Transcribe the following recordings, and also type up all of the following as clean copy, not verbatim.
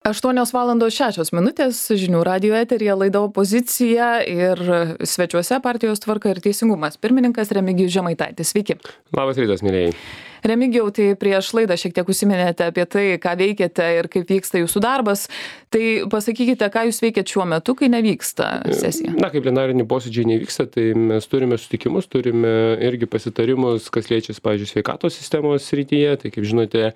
8:06 žinių radijo eteryje laida Opozicija ir svečiuose partijos Tvarka ir Teisingumas pirmininkas Remigijus Žemaitaitis. Sveiki. Labas rytas, mėlyjei. Remigijau, tai prieš laidą šiek tiek užsiminėte apie tai, ką veikiate ir kaip vyksta jūsų darbas. Tai pasakykite, ką jūs veikiate šiuo metu, kai nevyksta sesija. Na, kai plenariniai posėdžiai nevyksta, tai mes turime susitikimus, turime irgi pasitarimus, kas liečia, pavyzdžiui, sveikatos sistemos srityje. Tai, kaip žinote,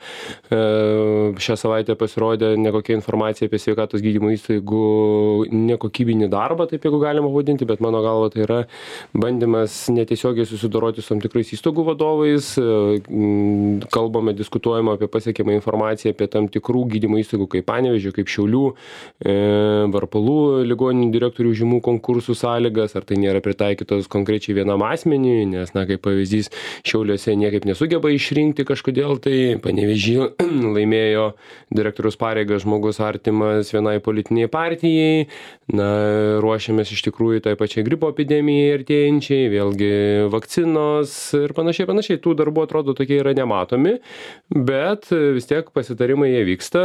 šią savaitę pasirodė nekokia informacija apie sveikatos gydymo įstaigų nekokybinį darbą, taip jeigu galima vadinti, bet mano galva tai yra bandymas netiesiogiai susidoroti su tam tikrais įstaigų vadovais. Kalbame, diskutuojame apie pasiekiamą informaciją apie tam tikrų gydymo įstaigų kaip Panevėžio, kaip Šiaulių, Varpalų ligoninių direktorių užimų konkursų sąlygas, ar tai nėra pritaikytos konkrečiai vienam asmeniui, nes, na, kaip pavyzdys, Šiauliuose niekaip nesugeba išrinkti kažkodėl, tai Panevėžyje laimėjo direktoriaus pareigą žmogus artimas vienai politiniai partijai, na, ruošiamės iš tikrųjų tai pačiai gripo epidemijai artėjančiai, vėlgi vakcinos ir panašiai. Tų darbų atrodo tokie yra nematomi, bet vis tiek pasitarimai jie vyksta,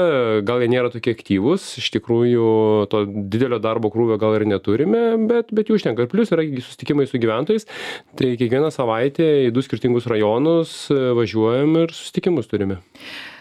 gal jie nėra tokie aktyvūs, iš tikrųjų to didelio darbo krūvio gal ir neturime, bet jų užtenka. Ir plius yra susitikimai su gyventojais, tai kiekvieną savaitę į 2 skirtingus rajonus važiuojam ir susitikimus turime.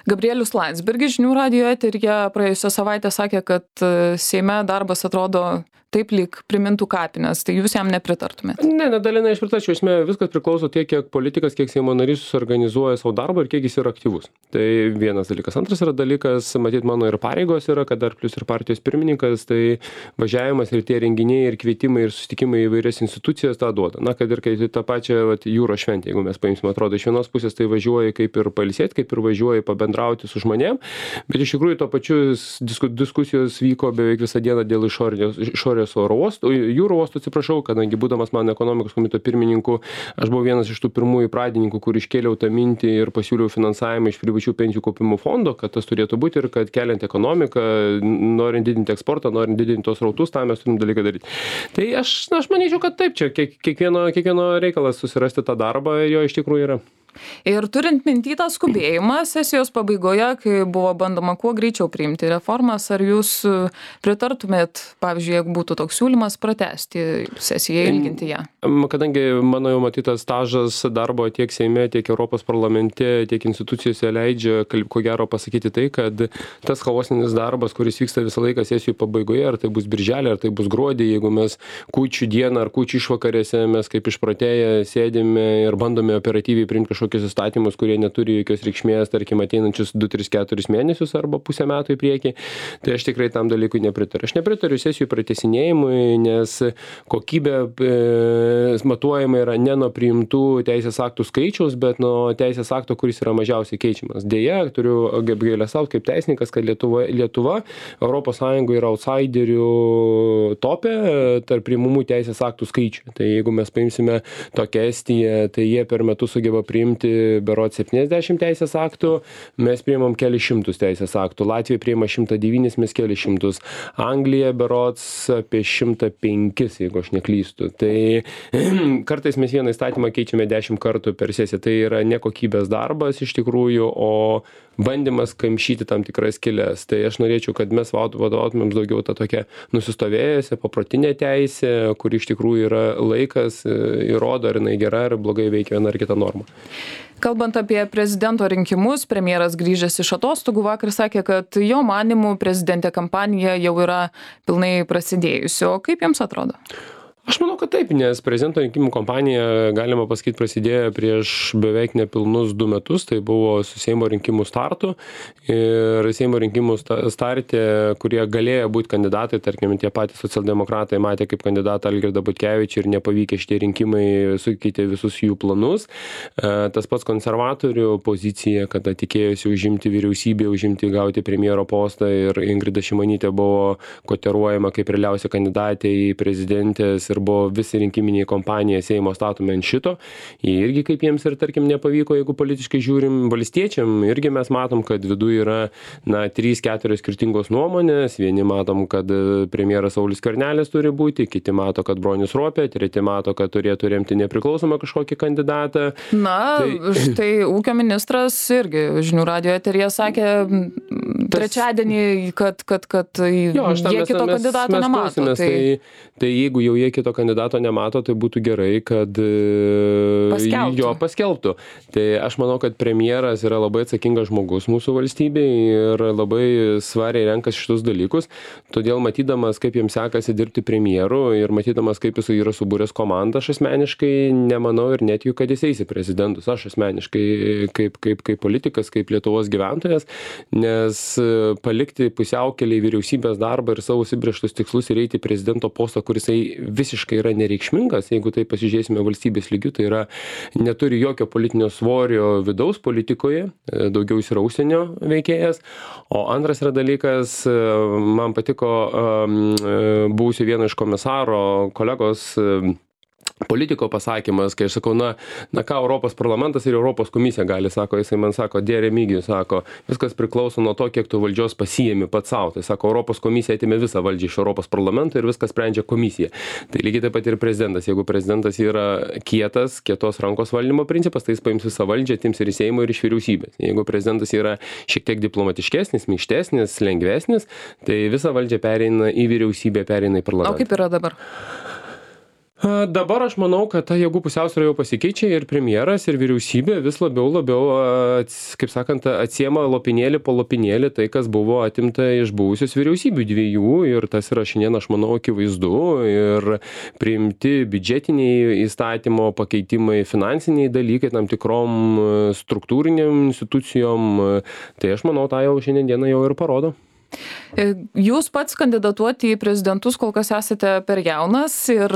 Gabrielius Landsbergis žinių radijo eteryje praėjusią savaitę sakė, kad Seime darbas atrodo taip lyg primintų kapines, tai jūs jam nepritartumėt? Ne, dalinai aš pritarčiau, esmė viskas priklauso tiek, kiek politikas, kiek Seimo narys suorganizuoja savo darbą ir kiek jis yra aktyvus. Tai vienas dalykas. Antras yra dalykas, matyt, mano ir pareigos yra, kad dar plius ir partijos pirmininkas, tai važiavimas ir tie renginiai, ir kvietimai, ir susitikimai į vairias institucijas tą duoda. Na, kad ir kai tą pačią jūros šventę, jeigu mes paimsime, atrodo, iš vienos pusės tai važiuoji kaip ir pailsėti, kaip ir važiuoji pabendrauti su žmonėm, bet iš tikrųjų to pačiu diskusijos vyko beveik visą dieną dėl išorės oro uostų, jūrų uostų, atsiprašau, kadangi būdamas man ekonomikos komiteto pirmininku, aš buvau vienas iš tų pirmųjų pradininkų, kur iškėliau tą mintį ir pasiūliau finansavimą iš privačių pensijų kaupimo fondo, kad tas turėtų būti ir kad keliant ekonomiką, norint didinti eksportą, norint didinti tos srautus, tą mes turim dalyką daryti. Tai aš manyčiau, kad taip, čia kiekvieno reikalas susirasti tą darbą, jo iš tikrųjų yra. Ir turint minty tą skubėjimą sesijos pabaigoje, kai buvo bandoma kuo greičiau priimti reformas, ar jūs pritartumėt, pavyzdžiui, jeigu būtų toks siūlymas pratęsti sesiją, ilginti ją? Kadangi mano jau matytas stažas darbo tiek Seime, tiek Europos parlamente, tiek institucijose leidžia, ko gero pasakyti tai, kad tas chaosinis darbas, kuris vyksta visą laiką sesijų pabaigoje, ar tai bus birželį, ar tai bus gruodį, jeigu mes kūčių dieną ar kūčių išvakarėse mes kaip išprotėję sėdime ir bandome operatyviai priimti kažkokius įstatymus, kurie neturi jokios reikšmės, tarkim, ateinančius 2, 3, 4 mėnesius arba pusę metų į priekį, tai aš tikrai tam dalykui nepritariu. Aš nepritariu sesijų pratęsinėjimui, nes kokybė matuojama yra ne nuo priimtų teisės aktų skaičiaus, bet nuo teisės akto, kuris yra mažiausiai keičiamas. Deja, turiu apgailestaut kaip teisininkas, kad Lietuva Europos Sąjungoje yra outsiderių topė tarp priimamų teisės aktų skaičių. Tai jeigu mes paimsime tokią Estiją, tai jie per metus sugeba priimti berods 70 teisės aktų, mes priimam keli šimtus teisės aktų. Latvija priima 109, mes keli šimtus. Anglija berods apie 105, jeigu aš neklystu. Tai kartais mes vieną įstatymą keičiame 10 kartų per sesiją. Tai yra nekokybės darbas iš tikrųjų, o bandymas kamšyti tam tikras skylės. Tai aš norėčiau, kad mes vadovautumėm daugiau tą tokią nusistovėjusią paprotinę teisę, kur iš tikrųjų yra laikas, įrodo, ar jinai gera, ar blogai veikia viena ar kita norma. Kalbant apie prezidento rinkimus, premjeras grįžęs iš atostogų vakar sakė, kad jo manymu prezidentė kampanija jau yra pilnai prasidėjusi. O kaip jums atrodo? Aš manau, kad taip, nes prezidento rinkimų kampanija, galima pasakyti, prasidėjo prieš beveik nepilnus 2 metus, tai buvo su Seimo rinkimų startu. Ir Seimo rinkimų starte, kurie galėjo būti kandidatai, tarkim, tie patys socialdemokratai matė kaip kandidatą Algirdą Butkevičių ir nepavykę šitie rinkimai sukeitė visus jų planus. Tas pats konservatorių pozicija, kada tikėjosi užimti vyriausybę, gauti premjero postą ir Ingrida Šimonytė buvo kotiruojama kaip realiausia kandidatė į prezidentės ir buvo visi rinkiminiai kompanija Seimo statomi ant šito. Jie irgi kaip jiems ir tarkim nepavyko, jeigu politiškai žiūrim valstiečiam, irgi mes matom, kad viduje yra 3-4 skirtingos nuomonės. Vieni matom, kad premjeras Saulius Skvernelis turi būti, kiti mato, kad Bronius Ropė, treti mato, kad turėtų remti nepriklausomą kažkokį kandidatą. Štai ūkio ministras irgi žinių radijo eteryje sakė trečiadienį, kad jie kito kandidato nemato. Tai jeigu jau jie kito kandidato nemato, tai būtų gerai, kad jo paskelbtų. Tai aš manau, kad premjeras yra labai atsakingas žmogus mūsų valstybėje ir labai svariai renkas šitus dalykus. Todėl matydamas, kaip jiems sekasi dirbti premjeru ir matydamas, kaip jis yra subūręs komandą, aš asmeniškai nemanau ir netikiu, kad jis eis į prezidentus. Aš asmeniškai kaip politikas, kaip Lietuvos gyventojas, nes palikti pusiaukelį vyriausybės darbą ir savo užsibrėžtus tikslus ir eiti prezidento postą, kuris visiškai yra nereikšmingas, jeigu tai pasižiūrėsime valstybės lygių, tai yra neturi jokio politinio svorio vidaus politikoje, daugiau jis yra užsienio veikėjas. O antras yra dalykas, man patiko buvusio vieno iš komisaro kolegos politiko pasakymas, kai aš sakau, na ką Europos parlamentas ir Europos komisija gali, sako, jisai man sako, Remigijus, sako, viskas priklauso nuo to, kiek tu valdžios pasiėmi pats savo. Tai sako, Europos komisija atėmė visą valdžią iš Europos parlamento ir viskas sprendžia komisija. Tai lygiai taip pat ir prezidentas. Jeigu prezidentas yra kietos rankos valdymo principas, tai jis paims visą valdžią, atims ir iš Seimo, ir iš vyriausybės. Jeigu prezidentas yra šiek tiek diplomatiškesnis, minkštesnis, lengvesnis, tai visa valdžia pereina į vyriausybę, pereina į parlamentą. O kaip yra dabar? Dabar aš manau, kad ta jėgų pusiausvyrą jau pasikeičia ir premjeras, ir vyriausybė vis labiau, kaip sakant, atsiema lopinėlį po lopinėlį tai, kas buvo atimta iš buvusios vyriausybių dviejų, ir tas yra šiandien, aš manau, akivaizdu, ir priimti biudžetiniai įstatymo pakeitimai, finansiniai dalykai tam tikrom struktūriniam institucijom, tai aš manau, tą jau šiandien dieną jau ir parodo. Jūs pats kandidatuoti į prezidentus kol kas esate per jaunas ir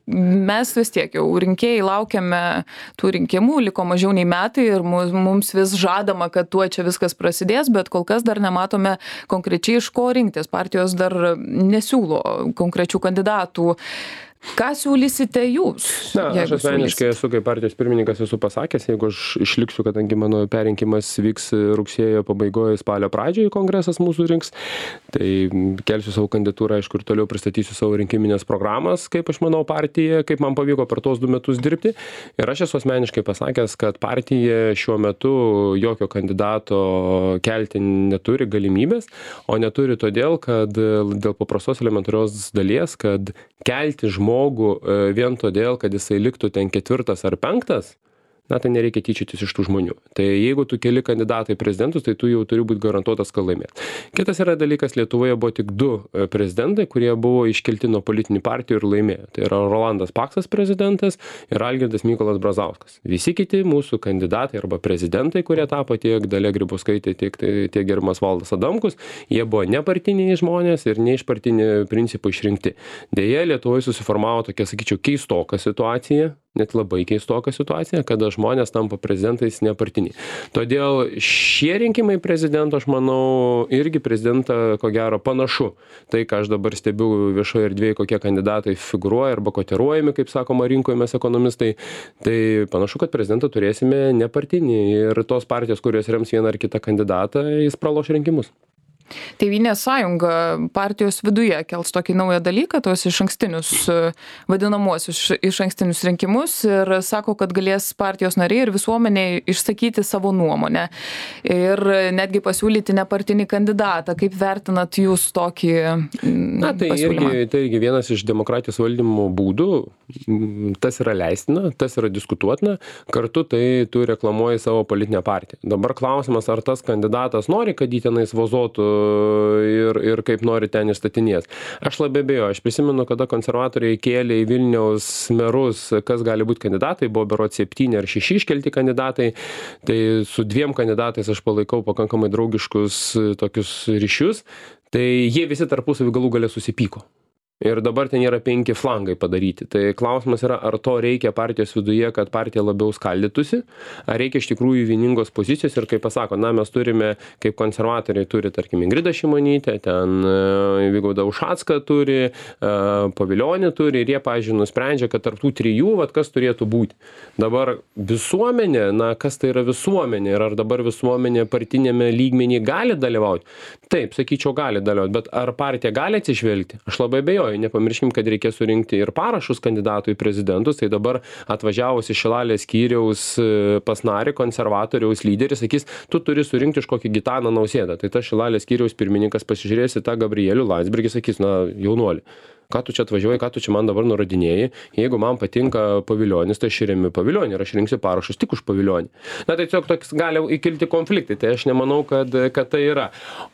mes vis tiek jau rinkėjai laukiame tų rinkimų, liko mažiau nei metai ir mums vis žadama, kad tuo čia viskas prasidės, bet kol kas dar nematome konkrečiai iš ko rinktis. Partijos dar nesiūlo konkrečių kandidatų. Ką siūlysite jūs? Aš asmeniškai esu kaip partijos pirmininkas esu pasakęs, jeigu aš išliksiu, kadangi mano perrinkimas vyks rugsėjo pabaigoje, spalio pradžioje kongresas mūsų rinks, tai kelsiu savo kandidatūrą, aišku, ir toliau pristatysiu savo rinkiminės programas, kaip aš manau partija, kaip man pavyko per tos 2 metus dirbti. Ir aš esu asmeniškai pasakęs, kad partija šiuo metu jokio kandidato kelti neturi galimybės, o neturi todėl, kad dėl paprastos elementarios dalies, kad kelti žmogų vien todėl, kad jisai liktų ten 4. ar 5, tai nereikia tyčiotis iš tų žmonių. Tai jeigu tu keli kandidatai prezidentus, tai tu jau turi būti garantuotas, kad laimėt. Kitas yra dalykas, Lietuvoje buvo tik 2 prezidentai, kurie buvo iškelti nuo politinių partijų ir laimėjo. Tai yra Rolandas Paksas prezidentas ir Algirdas Mykolas Brazauskas. Visi kiti mūsų kandidatai arba prezidentai, kurie tapo tiek Dalia Grybauskaitė, tiek gerbiamas Valdas Adamkus, jie buvo nepartiniai žmonės ir ne iš partinių principų išrinkti. Deja, Lietuvoje susiformavo tokia, sakyčiau, keistoka situacija, net labai keistoka situacija, kada žmonės tampa prezidentais nepartiniai. Todėl šie rinkimai prezidento, aš manau, irgi prezidentą, ko gero, panašu. Tai, ką aš dabar stebiu viešoje erdvėje, kokie kandidatai figūruoja arba kotiruojami, kaip sakoma, rinkoje mes ekonomistai, tai panašu, kad prezidentą turėsime nepartinį ir tos partijos, kurios rems vieną ar kitą kandidatą, jis praloš rinkimus. Tėvynės sąjunga partijos viduje kels tokį naują dalyką, tos išankstinius, vadinamuosius išankstinius rinkimus ir sako, kad galės partijos nariai ir visuomeniai išsakyti savo nuomonę ir netgi pasiūlyti nepartinį kandidatą. Kaip vertinat jūs tokį pasiūlymą? Tai irgi vienas iš demokratijos valdymo būdų, tas yra leistina, tas yra diskutuotina, kartu tai tu reklamuoji savo politinę partiją. Dabar klausimas, ar tas kandidatas nori, kad jį tenais vozuotų ir kaip nori ten išstatinės. Aš labai abejoju, aš prisimenu, kada konservatoriai kėlė į Vilniaus merus, kas gali būti kandidatai, buvo berods 7 ar 6 iškelti kandidatai, tai su 2 kandidatais aš palaikau pakankamai draugiškus tokius ryšius, tai jie visi tarpusavy galų gale susipyko. Ir dabar ten yra 5 flangai padaryti. Tai klausimas yra, ar to reikia partijos viduje, kad partija labiau skaldytųsi, ar reikia iš tikrųjų vieningos pozicijos ir kaip pasako, na, mes turime, kaip konservatoriai turi, tarkim, Ingridą Šimonytę, ten Vygaudą Ušacką turi, Pavilionį turi ir jie, pavyzdžiui, nusprendžia, kad tarp tų 3, vat, kas turėtų būti. Dabar visuomenė, na, kas tai yra visuomenė ir ar dabar visuomenė partinėme lygmenį gali dalyvauti? Taip, sakyčiau, gali dalyvauti, bet ar partija gali atsižvelgti? Aš labai abejoju. Nepamirškim, kad reikės surinkti ir parašus kandidatų į prezidentus, tai dabar atvažiavus iš Šilalės skyriaus pas narį konservatoriaus lyderis sakys, tu turi surinkti iš kokį Gitaną Nausėdą. Tai tas Šilalės skyriaus pirmininkas pasižiūrės į tą Gabrielių Landsbergį, sakys, na, jaunuoli, ką tu čia atvažiuoji, ką tu čia man dabar nurodinėjai, jeigu man patinka Pavilionis, tai aš remiu Pavilionį ir aš rinksiu parašus tik už Pavilionį. Na, tai tiesiog toks gali įkilti konfliktai, tai aš nemanau, kad tai yra.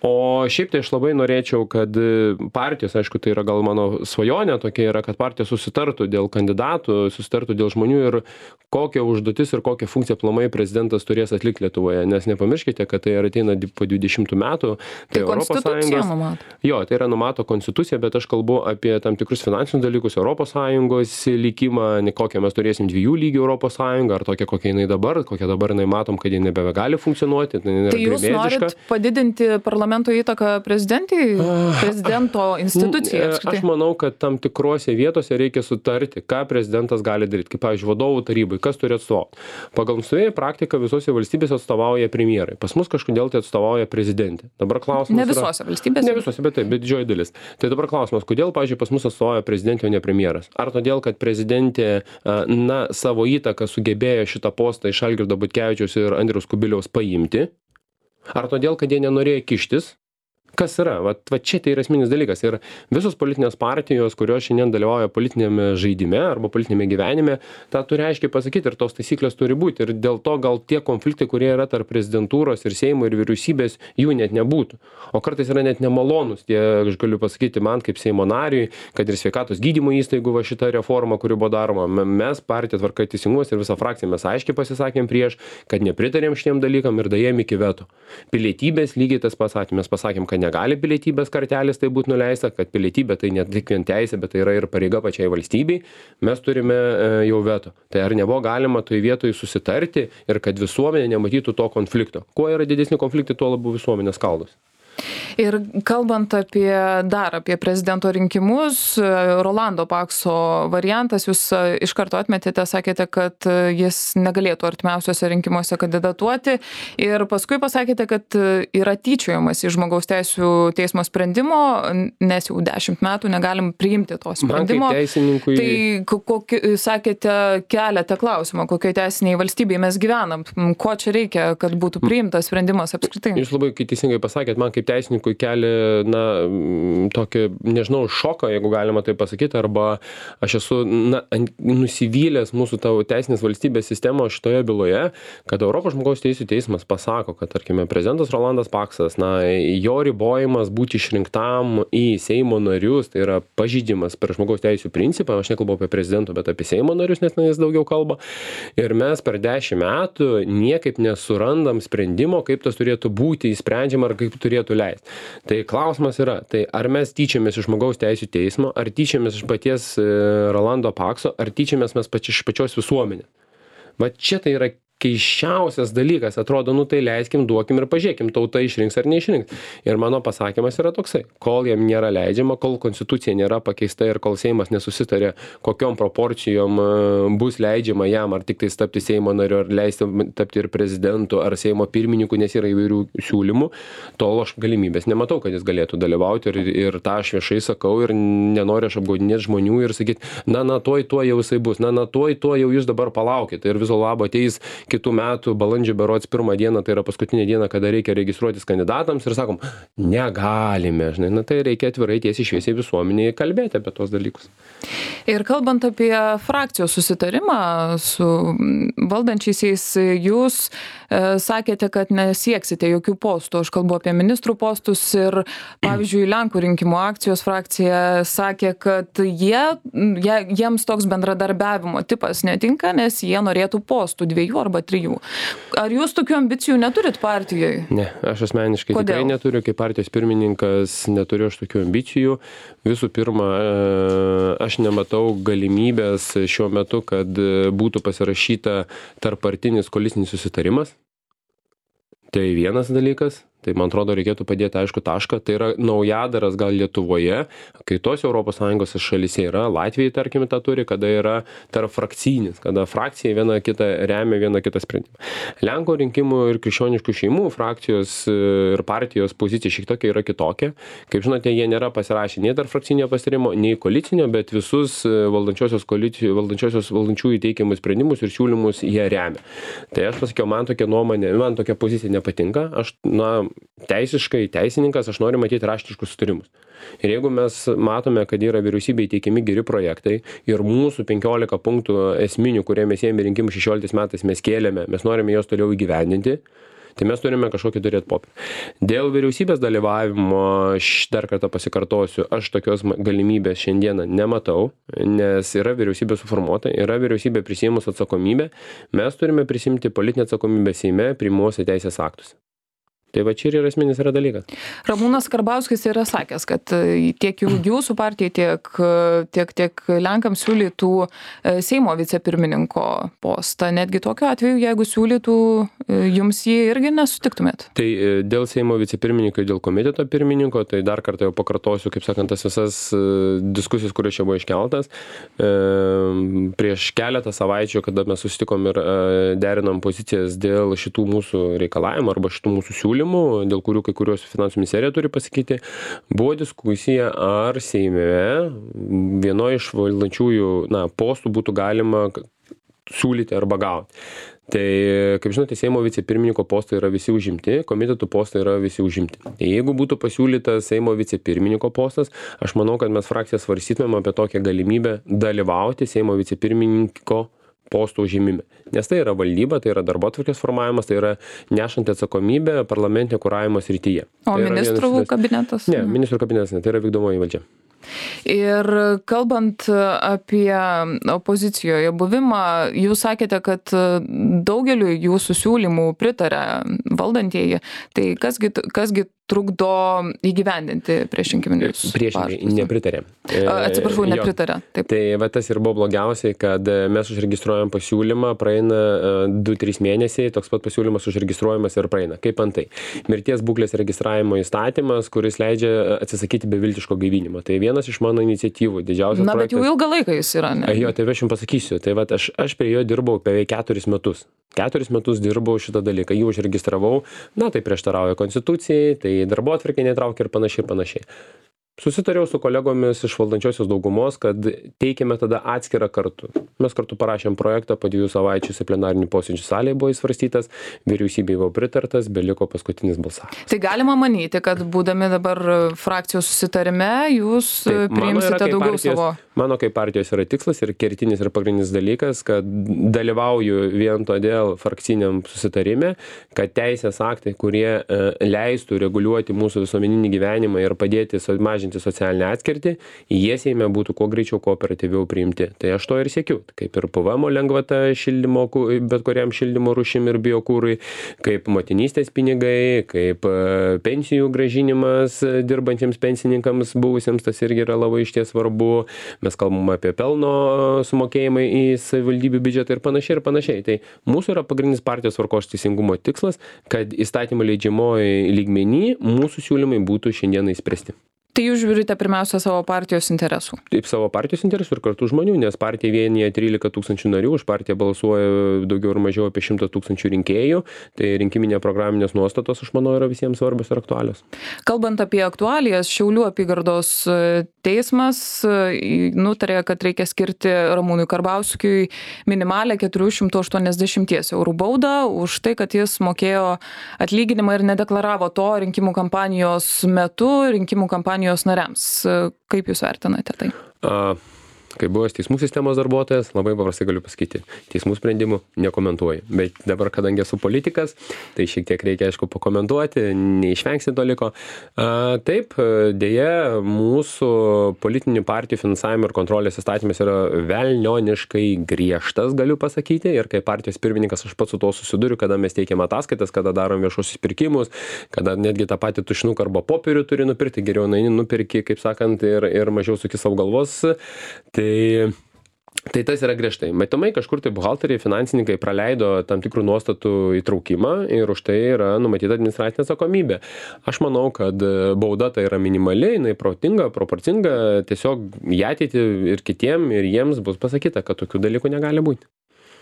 O šiaip tai aš labai norėčiau, kad partijos, aišku, tai yra gal mano svajonė tokia yra, kad partija susitartų dėl kandidatų, susitartų dėl žmonių ir kokią užduotis ir kokią funkciją aplamai prezidentas turės atlikti Lietuvoje. Nes nepamirškite, kad tai ateina po 20 metų. Tai Europos Sąjungos. Jo, tai yra numato konstitucija, bet aš kalbu apie tam tikrus finansinius dalykus, Europos Sąjungos likimą, kokią mes turėsim 2 lygių Europos Sąjungą, ar tokia, kokia jinai dabar, kokią dabar jinai matom, kad jinai nebegali funkcionuoti. Tai jūs norit padidinti parlamento įtaką prezidento institucijai? Aš manau, kad tam tikrose vietose reikia sutarti, ką prezidentas gali daryti. Kaip, pavyzdžiui, vadovų tarybai, kas turi atstovauti. Pagal nusistovėjusią praktiką visose valstybėse atstovauja premjerai. Pas mus kažkodėl tai atstovauja prezidentė. Dabar klausimas ne visose valstybėse. Ne visose, bet taip, bet didžioji dalis. Tai dabar klausimas, kodėl, pavyzdžiui, pas mus atstovauja prezidentė, o ne premjeras? Ar todėl, kad prezidentė, na, savo įtaką sugebėjo šitą postą iš Algirdo Butkevičiaus ir Andriaus Kubiliaus paimti? Ar todėl, kad jie nenorėjo kištis? Kas yra? Va čia tai yra esminis dalykas. Ir visos politinės partijos, kurios šiandien dalyvauja politinėme žaidime arba politinėme gyvenime, tą turi aiškiai pasakyti ir tos taisyklės turi būti. Ir dėl to gal tie konfliktai, kurie yra tarp prezidentūros ir Seimo ir vyriausybės, jų net nebūtų. O kartais yra net nemalonus. Aš galiu pasakyti man kaip Seimo nariui, kad ir sveikatos gydymo įstaigų va šita reforma, kuri buvo daroma, mes partija Tvarka ir Teisingumas ir visa frakcija mes aiškiai pasisakėm prieš, kad nepritarėm šitiem dalykam ir dajėm iki veto. Pilietybės lygiai tas pasakėm, mes pasakėm, kad negali pilietybės kartelės tai būti nuleista, kad pilietybė tai ne tik vien teisė, bet tai yra ir pareiga pačiai valstybei, mes turime jau veto. Tai ar nebuvo galima toj vietoj susitarti ir kad visuomenė nematytų to konflikto? Kuo yra didesni konfliktai, tuo labiau visuomenė skaldos. Ir kalbant apie prezidento rinkimus, Rolando Pakso variantas, jūs iš karto atmetėte, sakėte, kad jis negalėtų artimiausiuose rinkimuose kandidatuoti ir paskui pasakėte, kad yra tyčiojamas iš žmogaus teisių teismo sprendimo, nes jau 10 metų negalim priimti to sprendimo. Tai sakėte, keliate klausimą, kokioje teisiniai valstybėje mes gyvenam, ko čia reikia, kad būtų priimtas sprendimas apskritai. Jūs labai teisingai pasakėt, man kaip teisininkui kelia, na, tokį, nežinau, šoką, jeigu galima tai pasakyti, arba aš esu, na, nusivylęs mūsų tavo teisinės valstybės sistemo šitoje byloje, kad Europos žmogaus teisių teismas pasako, kad, tarkime, prezidentas Rolandas Paksas, na, jo ribojimas būti išrinktam į Seimo narius, tai yra pažeidimas per žmogaus teisių principą, aš nekalbu apie prezidento, bet apie Seimo narius, nes jis daugiau kalba, ir mes per 10 metų niekaip nesurandam sprendimo, kaip tas turėtų būti įsprendžiama ar kaip turėtų leisti. Tai klausimas yra, tai ar mes tyčiamės iš žmogaus teisių teismo, ar tyčiamės iš paties Rolando Pakso, ar tyčiamės mes iš pačios visuomenės. Va čia tai yra keiščiausias dalykas, atrodo, nu tai leiskim, duokim ir pažiūrėkim, tauta išrinks ar neišrinks. Ir mano pasakymas yra toksai, kol jam nėra leidžiama, kol konstitucija nėra pakeista ir kol Seimas nesusitarė, kokiom proporcijom bus leidžiama jam, ar tik tai tapti Seimo nariu, ar leisti tapti ir prezidentu, ar Seimo pirmininku, nes yra įvairių siūlymų, tol aš galimybės nematau, kad jis galėtų dalyvauti ir tą aš viešai sakau ir nenoriu aš apgaudinėti žmonių ir sakyti, na, tuoj jau jisai bus, na, tuoj jau jūs dabar palaukite ir viso labo ateis kitų metų balandžio berods 1 dieną, tai yra paskutinė diena, kada reikia registruotis kandidatams ir sakom, negalime, žinai, na tai reikia atvirai tiesiai šviesiai visuomeniai kalbėti apie tos dalykus. Ir kalbant apie frakcijos susitarimą su valdančiaisiais, jūs sakėte, kad nesieksite jokių postų, aš kalbu apie ministrų postus ir, pavyzdžiui, Lenkų rinkimų akcijos frakcija sakė, kad jiems toks bendradarbiavimo tipas netinka, nes jie norėtų postų 2 arba arba 3. Ar jūs tokių ambicijų neturit partijoje? Ne, aš asmeniškai Kodėl? tikrai neturiu, kaip partijos pirmininkas neturiu aš tokių ambicijų. Visų pirma, aš nematau galimybės šiuo metu, kad būtų pasirašyta tarppartinis koalicinis susitarimas. Tai vienas dalykas. Tai man atrodo reikėtų padėti aišku tašką. Tai yra naujadaras gal Lietuvoje, kai tos ES šalyse yra, Latvijai tarkime tą turi, kada yra tarp frakcinis, kada frakcija viena kitą remia, viena kitą sprendimą. Lenkų rinkimų ir krikščioniškų šeimų frakcijos ir partijos pozicija šiek tiek yra kitokia. Kaip žinote, jie nėra pasirašę nei tarp frakcinio pasitarimo, nei koalicinio, bet visus valdančiųjų teikiamus sprendimus ir siūlymus jie remia. Tai aš pasakiau, man tokia pozicija nepatinka. Aš, teisiškai, teisininkas, aš noriu matyti raštiškus sutarimus. Ir jeigu mes matome, kad yra vyriausybėje teikiami geri projektai ir mūsų 15 punktų esminių, kurie mes ėmė rinkimų 16 metais mes kėlėme, mes norime juos toliau įgyvendinti, tai mes turime kažkokį turėti popierį. Dėl vyriausybės dalyvavimo, aš dar kartą pasikartosiu, aš tokios galimybės šiandieną nematau, nes yra vyriausybė suformuota, yra vyriausybė prisiėmus atsakomybę, mes turime prisimti politinę atsakomybę Seime priimuose teisės aktuose. Tai va čia ir esminis yra dalykas. Ramūnas Karbauskis yra sakęs, kad tiek jūsų partijai, tiek Lenkams siūlytų Seimo vicepirmininko postą. Netgi tokiu atveju, jeigu siūlytų, jums jį irgi nesutiktumėt. Tai dėl Seimo vicepirmininko, dėl komiteto pirmininko, tai dar kartą jau pakartosiu, kaip sakant, tas visas diskusijas, kurios čia buvo iškeltas. Prieš keletą savaičių, kada mes susitikom ir derinom pozicijas dėl šitų mūsų reikalavimų arba šitų mūsų siūlymų, dėl kurių kai kuriuos finansų ministerija turi pasakyti, buvo diskusija, ar Seime vienoje iš valdančiųjų postų būtų galima siūlyti arba gauti. Tai, kaip žinote, Seimo vicepirmininko postai yra visi užimti, komitetų postai yra visi užimti. Jeigu būtų pasiūlytas Seimo vicepirmininko postas, aš manau, kad mes frakciją svarstytumėm apie tokią galimybę dalyvauti Seimo vicepirmininko postų užimime. Nes tai yra valdyba, tai yra darbotvarkės formavimas, tai yra nešanti atsakomybė parlamentinio kuravimo srityje. O ministrų kabinetas? Ne, ministrų kabinetas ne, tai yra vykdomoji valdžia. Ir kalbant apie opozicijoje buvimą, jūs sakėte, kad daugeliu jūsų siūlymų pritarė valdantieji. Tai kasgi trukdo įgyvendinti priešrinkiminius pažadus? Priešingai, nepritarė. Atsiprašau, nepritarė. Taip. Tai va tas ir buvo blogiausiai, kad mes užregistruojam pasiūlymą, praeina 2-3 mėnesiai, toks pat pasiūlymas užregistruojamas ir praeina. Kaip antai? Mirties būklės registravimo įstatymas, kuris leidžia atsisakyti beviltiško gaivinimo. Tai vienas iš mano iniciatyvų, didžiausias projektas. Bet jau ilgą laiką jis yra, ne? Jo, tai aš jums pasakysiu. Tai va, aš prie jo dirbau beveik 4 metus. 4 metus dirbau šitą dalyką, jį užregistravau, tai prieštarauja konstitucijai, tai darbotvarkė netraukia ir panašiai. Susitariau su kolegomis iš valdančiosios daugumos, kad teikiame tada atskirą kartu. Mes kartu parašėm projektą, po 2 savaičių į plenarinį posėdžių salėje buvo įsvarstytas, vyriausybei buvo pritartas, beliko paskutinis balsavimas. Tai galima manyti, kad būdami dabar frakcijos susitarime, jūs priimsite daugiau savo. Mano kaip partijos yra tikslas ir kertinis ir pagrindinis dalykas, kad dalyvauju vien todėl frakciniam susitarime, kad teisės aktai, kurie leistų reguliuoti mūsų visuomeninį gyvenimą ir padėti mažinti socialinę atskirtį, jie Seime būtų kuo greičiau, kuo operatyviau priimti. Tai aš to ir siekiu. Kaip ir PVM lengvata šildymo, bet kuriam šildymo rūšim ir biokūrui, kaip motinystės pinigai, kaip pensijų grąžinimas dirbantiems pensininkams buvusiems, tas irgi yra labai išties svarbu. Mes kalbame apie pelno sumokėjimą į savivaldybių biudžetą ir panašiai. Tai mūsų yra pagrindinis partijos tvarkos teisingumo tikslas, kad įstatymų leidžiamoji lygmenį mūsų siūlymai būtų šiandieną įspręsti. Tai jūs žiūrite pirmiausia savo partijos interesų? Taip, savo partijos interesų ir kartu žmonių, nes partija vienyje 13 000 narių, už partiją balsuoja daugiau ar mažiau apie 100 000 rinkėjų, tai rinkiminė programinės nuostatos, aš manau, yra visiems svarbios ir aktualios. Kalbant apie aktualijas, Šiaulių apygardos teismas nutarė, kad reikia skirti Ramūnui Karbauskiui minimalę 480 eurų baudą už tai, kad jis mokėjo atlyginimą ir nedeklaravo to rinkimų kampanijos metu, rinkimų kampanijos nariams. Kaip jūs vertinate tai? Kaip buvęs teismų sistemos darbuotojas, labai paprastai galiu pasakyti, teismų sprendimų nekomentuoju. Bet dabar, kadangi esu politikas, tai šiek tiek reikia, aišku, pakomentuoti, neišvengsi to liko. Taip, dėja, mūsų politinių partijų finansavimo ir kontrolės įstatymas yra velnioniškai griežtas, galiu pasakyti. Ir kaip partijos pirmininkas aš pats su to susiduriu, kada mes teikiam ataskaitas, kada darom viešuosius pirkimus, kada netgi tą patį tušinuką arba popierių turi nupirkti, geriau nupirki, kaip sakant, ir mažiau suki savo galvos. Tai tas yra griežtai. Matomai kažkur tai buhalteriai, finansininkai praleido tam tikrų nuostatų įtraukimą ir už tai yra numatyta administracinė atsakomybė. Aš manau, kad bauda tai yra minimali, jinai protinga, proporcinga, tiesiog į ateitį ir kitiem, ir jiems bus pasakyta, kad tokių dalykų negali būti.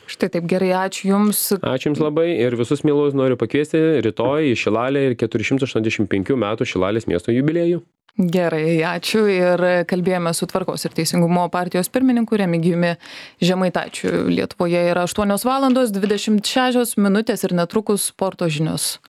Štai taip, gerai, ačiū Jums. Ačiū Jums labai ir visus mielus noriu pakviesti rytoj į Šilalę ir 485 metų Šilalės miesto jubiliejų. Gerai, ačiū ir kalbėjome su Tvarkos ir Teisingumo partijos pirmininku Remigijumi Žemaitaičiu. Lietuvoje yra 8:26 ir netrukus sporto žinios.